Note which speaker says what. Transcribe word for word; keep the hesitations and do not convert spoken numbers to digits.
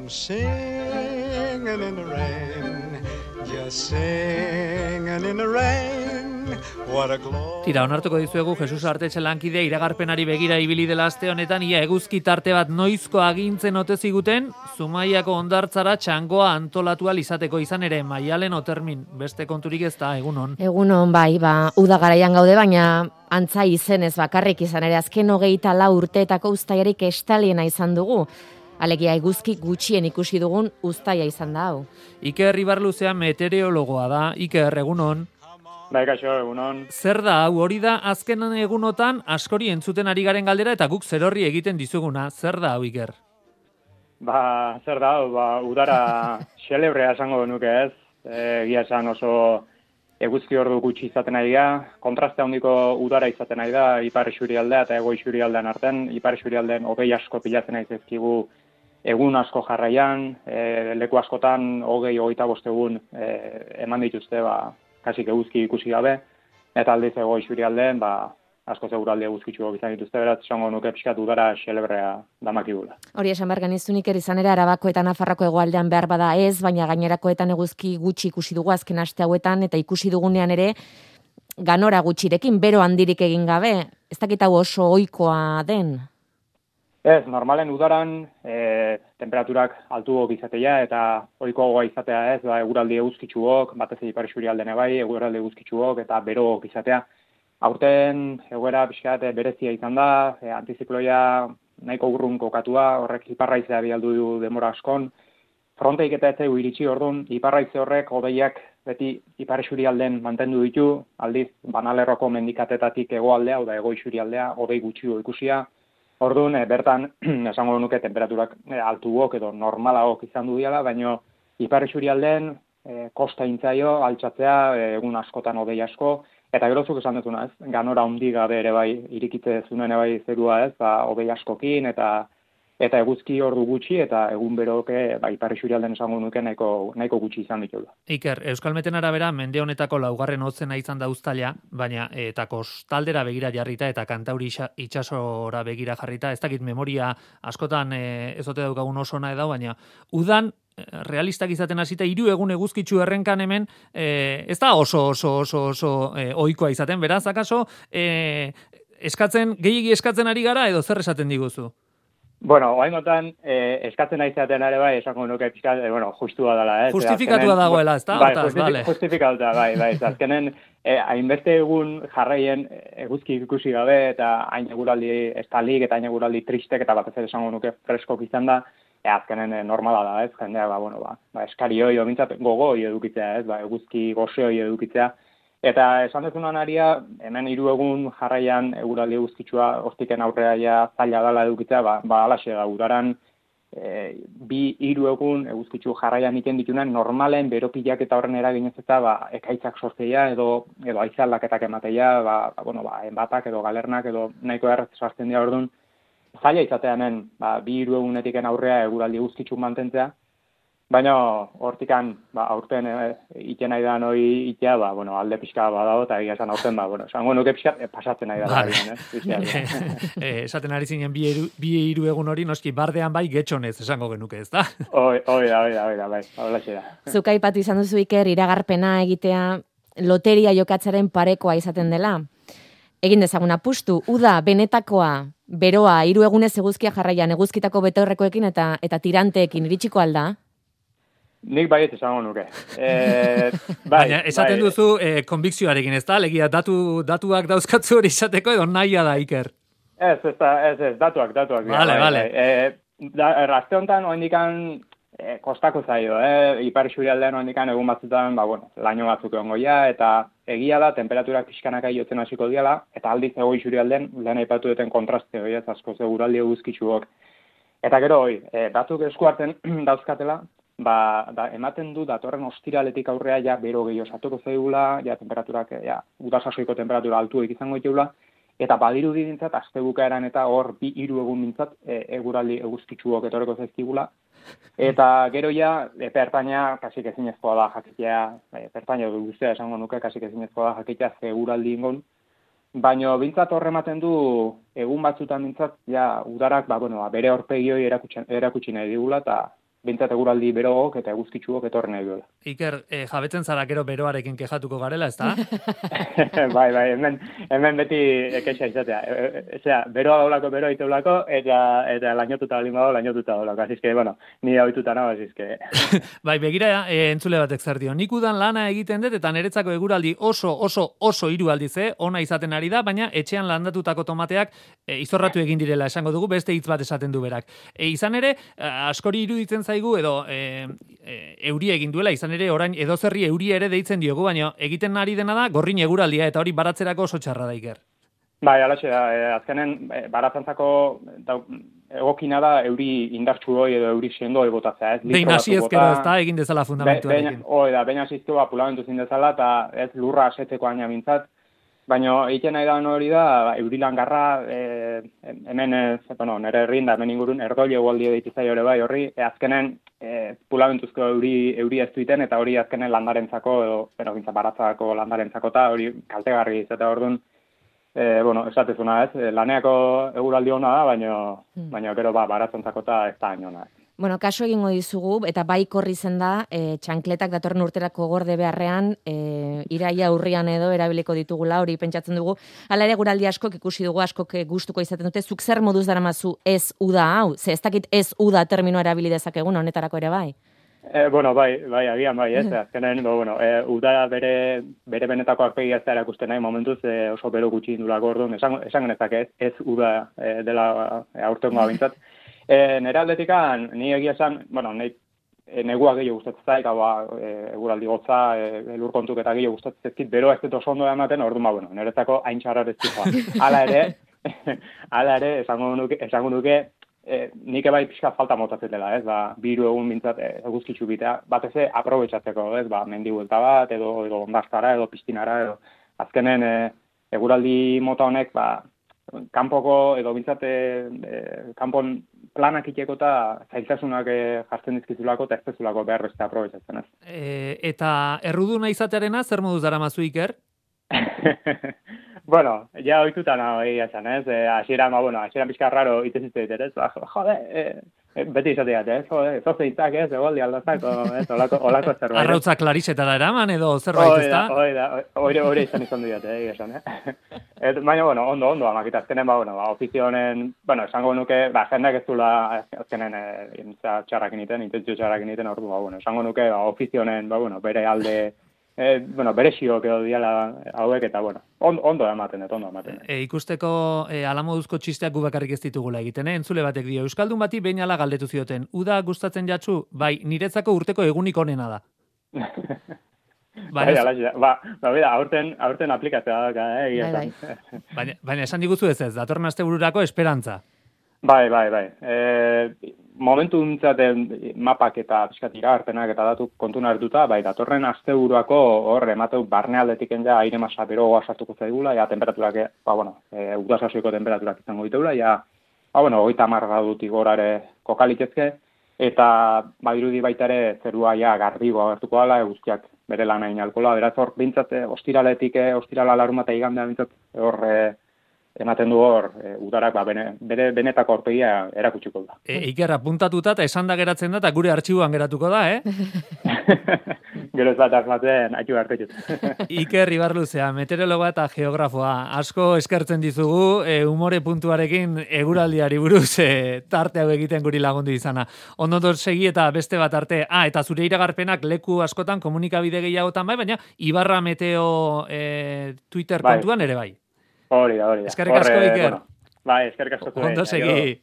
Speaker 1: I'm singing in the rain, just singing in the rain. What a glory.
Speaker 2: Tira, onartuko dizuegu Jesus Artetxe lankide iragarpenari begira ibili dela aste honetan, ia eguzki tarte bat noizko agintzen ote ziguten, Zumaiako hondartzara txangoa antolatu ahal izateko, izan ere Maialen Otermin, beste konturik ez da, egunon.
Speaker 3: Egunon, bai, ba, uda garaian gaude, baina antza izenez bakarrik izan ere, azken hogeita lau urteetako uztaiarik estaliena izan dugu. Alegia eguzki gutxien ikusi dugun uztaia izan da hau.
Speaker 2: Iker Ibarluzea meteorologoa da, Iker, egunon.
Speaker 4: Bai, kaixo, egunon.
Speaker 2: Zer da, hau hori da, azken egunotan askori entzuten ari garen galdera eta guk zerorri egiten dizuguna. Zer da, hau, Iker?
Speaker 4: Ba, zer da, hau, ba, udara xelebrea esango nuke ez. Egia esan oso eguzki ordu gutxi izaten ari da. Kontraste handiko udara izaten ari da, ipar isurialdea eta hego isurialdean artean. Ipar isurialdean hogei asko pilatzen ari zaizkigu egun asko jarraian, e, leku askotan hogei, hogeita bost egun e, eman dituzte, ba, kasik eguzki ikusi gabe, eta aldiz ego isurialdean, ba, asko seguraldi eguzkitxuak izan dituzte, beraz, esango nuke pixkat udara xelebrea damakigula.
Speaker 3: Hori esan behar genizunik izan ere Arabako eta Nafarroko hegoaldean behar bada ez, baina gainerakoetan eguzki gutxi ikusi dugu azken aste hauetan, eta ikusi dugunean ere ganora gutxirekin, bero handirik egin gabe, ez dakit hau oso ohikoa den?
Speaker 4: Ez, normalen udaran e, temperaturak altuok izatea eta ohikoagoa izatea ez, ba, eguraldi eguzkitsuok, batez ipar isurialdean bai, eguraldi eguzkitsuok eta berook izatea. Aurten egoera pixkat berezia izan da, e, antizikloia nahiko urrun kokatua, horrek iparraizea bialdu du denbora askon. Fronteik eta ez zaigu iritsi orduan, iparraize horrek hodeiak beti ipar isurialdean mantendu ditu, aldiz Banalerroko mendikatetatik hegoaldea, oda hego isurialdea, hodei gutxio ikusia. Orduan, e, bertan, esango nuke temperaturak e, altuok edo normalaok izan du diala, baina ipar isurialdean e, kosta intzaio, altxatzea, e, egun askotan hodei asko, eta gerozuk esan dutuna ez, ganora handi gabe ere bai, irikitze zunen ere bai zerua ez, ba, hodei askokin, eta eta eguzki ordu gutxi, eta egun beroke, ba, ipar isurialdean esango nuke nahiko, nahiko gutxi izan ditula.
Speaker 2: Iker, Euskalmeten arabera, mende honetako laugarren hotzena izan da uztaila, baina eta kostaldera begira jarrita eta Kantauri itsasora begira jarrita, ez dakit memoria askotan e, ez ote daukagun oso ona edo, baina udan realistak izaten hasita hiru egun eguzkitsu errenkan hemen e, ez da oso oso oso oso e, ohikoa izaten, beraz, akaso e, eskatzen, gehiegi eskatzen ari gara edo zer esaten diguzu?
Speaker 4: Bueno, oraingotan eh, eskatzen aizaten ere bai, esango nuke pixkat, eh, bueno, justua dela, eh.
Speaker 2: Justifikatua dagoela, ezta?
Speaker 4: Bai,
Speaker 2: Hortaz,
Speaker 4: justifik,
Speaker 2: vale.
Speaker 4: Justifikatuta, bai, bai. Azkenen eh, hainbeste egun jarraien eguzki ikusi gabe eta hain eguraldi estalik eta hain eguraldi tristek eta batez ere esango nuke freskok izan da, e, azkenen eh, normala da, ez? Jendea, ba, bueno, ba, ba eskari hoi, bintzat gogo hoi edukitzea, ez? Ba, eguzki goze hoi edukitzea. Eta esan dezunan aria, hemen hiru egun jarraian eguraldi eguzkitsua hortiken aurrea ja zaila dela edukitzea, ba, ba alaxe da, udaran e, bi hiru egun eguzkitsu jarraian iten ditunen normalen beropilak eta horren eraginez eta ba, ekaitzak sortzea edo edo haize aldaketak ematea, ba, ba, bueno, ba, enbatak edo galernak edo nahiko erraz sartzen dira orduan, zaila izatea hemen, ba, bi hiru egunetiken aurrea eguraldi eguzkitsu mantentzea. Baina hortikan, ba, aurten e, iten nahi da noi itea, ba, bueno, alde pixka badago, eta egia esan aurten, ba, bueno, esango nuke pixka e, pasatzen nahi da.
Speaker 2: Vale.
Speaker 4: eh?
Speaker 2: Esaten ari zinen bi hiru, bi hiru egun hori, noski, bardean bai getxonez esango genuke, ez da?
Speaker 4: Hoi, hoi da, hoi da, hoi da, bai, holaxe da.
Speaker 3: Zuk aipatu izan duzu Iker, iragarpena egitea loteria jokatzaren parekoa izaten dela. Egin dezagun apustu, uda, benetakoa, beroa, hiru egunez eguzkia jarraian, eguzkitako betaurrekoekin eta, eta tiranteekin iritsiko alda?
Speaker 4: Nik baiet esango nuke. E, bai,
Speaker 2: Baina esaten
Speaker 4: bai.
Speaker 2: duzu e, konbikzioarekin, ez da? Legia datu, datuak dauzkatzu hori izateko edo nahia da, Iker?
Speaker 4: Ez, ez, da, ez, ez, datuak, datuak.
Speaker 2: Vale,
Speaker 4: bai,
Speaker 2: vale.
Speaker 4: Bai. E, da, errazte honetan, oendikan, e, kostako zaio, eh? Ipar isurialdean oendikan egun batzutan, ba, bueno, laino batzuk egongo ja, eta egia da, temperaturak pixkanaka jotzen hasiko diala, eta aldiz ego isurialdean, lehen aipatu duten kontraste, hori ez, asko seguraldi eguzkitsuok. Eta gero, hoi, e, batzuk eskuarten dauzkatela, ba, da, ematen du datorren ostiraletik aurrea ja bero gehiago sartuko zaigula, ja temperaturak, ja, udasasoiko temperatura altuek izango ditugula, eta badiru dintzat, aste bukaeran eta hor bi hiru egun dintzat, e, eguraldi eguzkitsuok etorreko zaizkigula, eta gero ja, epe ertaina, kasik ezinezkoa da jakitea, epe ertaina guztia esango nuke, kasik ezinezkoa da jakitea ze eguraldi ingon, baina bintzat horre ematen du, egun batzutan bintzat, ja, udarak, ba, bueno, ba, bere horpegioi erakutsi, erakutsi nahi digula, eta bintzat eguraldi berogok eta eguzkitsuok etorren nahi duela.
Speaker 2: Iker, e, jabetzen zara gero beroarekin kejatuko garela, ezta?
Speaker 4: bai, bai, hemen, hemen beti kexa izatea. Osea, beroa daulako, beroa iteulako, eta, eta lainotuta balin badago, lainotuta daulako. Asizke, bueno, ni hauituta nago, asizke.
Speaker 2: bai, begira, e, entzule batek zer dio. Nik udan lana egiten dut, eta niretzako eguraldi oso, oso, oso hiru aldiz, eh? Ona izaten ari da, baina etxean landatutako tomateak e, izorratu egin direla, esango dugu, beste hitz bat esaten du berak. E, izan ere, askori iruditzen zaigu, edo e, e, euri egin duela, izan ere, orain edozerri euri ere deitzen diogu, baina egiten ari dena da gorrin eguraldia, eta hori baratzerako oso txarra da, Iker.
Speaker 4: Bai, alaxe da, e, azkenen e, baratzantzako da, egokina da euri indartsu hoi edo euri sendo hoi botatzea, ez?
Speaker 2: Behin hasi ezkero ez da, egin dezala fundamentuarekin.
Speaker 4: Be, hoi da, behin hasi ezkero apulamentu zin dezala, eta ez lurra asetzeko aina bintzat, baina egiten nahi da hori da, eurilan garra, e, hemen, e, bueno, nire herrin da, hemen ingurun, erdoi egualdi deitizai hori bai, horri, e, azkenen e, pulamentuzko euri, euri ez duiten, eta hori azkenen landarentzako, edo, bueno, gintza baratzako landarentzako, eta hori kaltegarri izate orduan, e, bueno, esatezuna ez, laneako eguraldi hona da, baina, hmm. baina gero ba, baratzantzako eta ez da hain hona.
Speaker 3: Bueno, kaso egingo dizugu, eta bai korri zen da, e, txankletak datorren urterako gorde beharrean, e, iraia urrian edo erabiliko ditugula, hori pentsatzen dugu. Hala ere guraldi askok ikusi dugu, askok gustuko izaten dute, zuk zer moduz daramazu ez uda hau? Ze ez dakit ez uda terminoa erabili dezakegun honetarako ere bai?
Speaker 4: E, bueno, bai, bai, agian bai, ez, azkenen, bueno, e, uda bere, bere benetako arpegia ez da erakusten nahi, momentuz e, oso bero gutxi indulako orduan, esan, esan genezak ez, ez uda e, dela e, aurtengoa bintzat. E, nire aldetikan, ni egia esan, bueno, nahi, e, negua gehiago gustatzen zaik, hau e, eguraldi gotza, e, lur kontuk eta gehiago gustatzen zaizkit, bero ez dut oso ondo ematen, orduan, ba, bueno, niretzako hain txarrar ez zijoa. Hala ere, hala ere, esango nuke, esango nuke e, nik ebai pixka falta motatzetela, ez, ba, biru egun bintzat e, eguzkitzu bitea, bat eze aprobetsatzeko, ez, ba, mendi buelta bat, edo, edo ondastara, edo piztinara, edo, azkenen e, eguraldi mota honek, ba, kanpoko edo bintzate e, kanpon planak iteko eta zailtasunak e, jartzen dizkizulako eta ez dezulako behar beste aprobetsatzen ez.
Speaker 2: E, eta erruduna izatearena zer moduz daramazu, Iker?
Speaker 4: Bueno, ja oituta nago egia esan, ez? E, asieran, ba, bueno, asieran pixka raro itezizte ditet, ez? Ba, jode, e, e, beti izateat, ez? Jode, zoze itzak, ez? Egoldi aldatzak, ez? Olako, olako zerbait.
Speaker 2: Arrautza klariseta da eraman edo zerbait, ez da?
Speaker 4: Hoi da, hoi da, hori izan izan diat, egia esan, eh? Et, baina, bueno, ondo, ondo, amakita, azkenen, ba, bueno, ba, ofizio honen, bueno, esango nuke, ba, jendeak ez dula, azkenen, e, txarrak initen, intentzio txarrak initen, ordu, ba, bueno, esango nuke, ba, ofizio honen, ba, bueno, bere alde, E, bueno, bere xiok edo diala hauek eta, bueno, on, ondo ematen, et, ondo ematen.
Speaker 2: E, ikusteko e, alamoduzko txisteak gu bakarrik ez ditugula egiten, eh? Entzule batek dio, Euskaldun bati behin ala galdetu zioten, uda gustatzen jatzu, bai, niretzako urteko egunik onena da.
Speaker 4: Bai, alaxi, ba, ba, bida, aurten, aurten aplikatzea da, eh, egia
Speaker 3: bai,
Speaker 4: bai.
Speaker 2: baina, baina esan diguzu ez ez, datorren astebururako esperantza.
Speaker 4: Bai, bai, bai. E, momentu duntzaten mapak eta pixkat iragarpenak eta datu kontuna hartuta, bai, datorren asteburuako hor emateu barnealdetik ja aire masa berogoa sartuko zaigula, ja temperaturak, ba, bueno, e, udasasoiko temperaturak izango diteula, ja, ba, bueno, hogeita hamar gradutik gorare kokalitzezke, eta badirudi baita ere zerua ja garbigo agertuko dela, eguzkiak bere lana inalkola, beraz hor, bintzat, ostiraletik, ostirala larumata igandea bintzat, hor, e, ematen du hor, e, udarak, ba, bene, bere benetako aurpegia erakutsiko da.
Speaker 2: E, Iker, apuntatuta eta esan da geratzen da, eta gure artxiboan geratuko da, eh?
Speaker 4: Gero ez bat asmatzen, haitu hartetut.
Speaker 2: Iker Ibarluzea, meteorologoa eta geografoa. Asko eskertzen dizugu, e, umore puntuarekin eguraldiari buruz e, tarte hau egiten guri lagundu izana. Ondo segi eta beste bat arte. Ah, eta zure iragarpenak leku askotan komunikabide gehiagotan bai, baina Ibarra Meteo e, Twitter
Speaker 4: bai.
Speaker 2: kontuan ere bai.
Speaker 4: Hori da, hori da.
Speaker 2: Eskerrik asko, Iker.
Speaker 4: Bueno, bai, eskerrik asko.
Speaker 2: Ondo segi.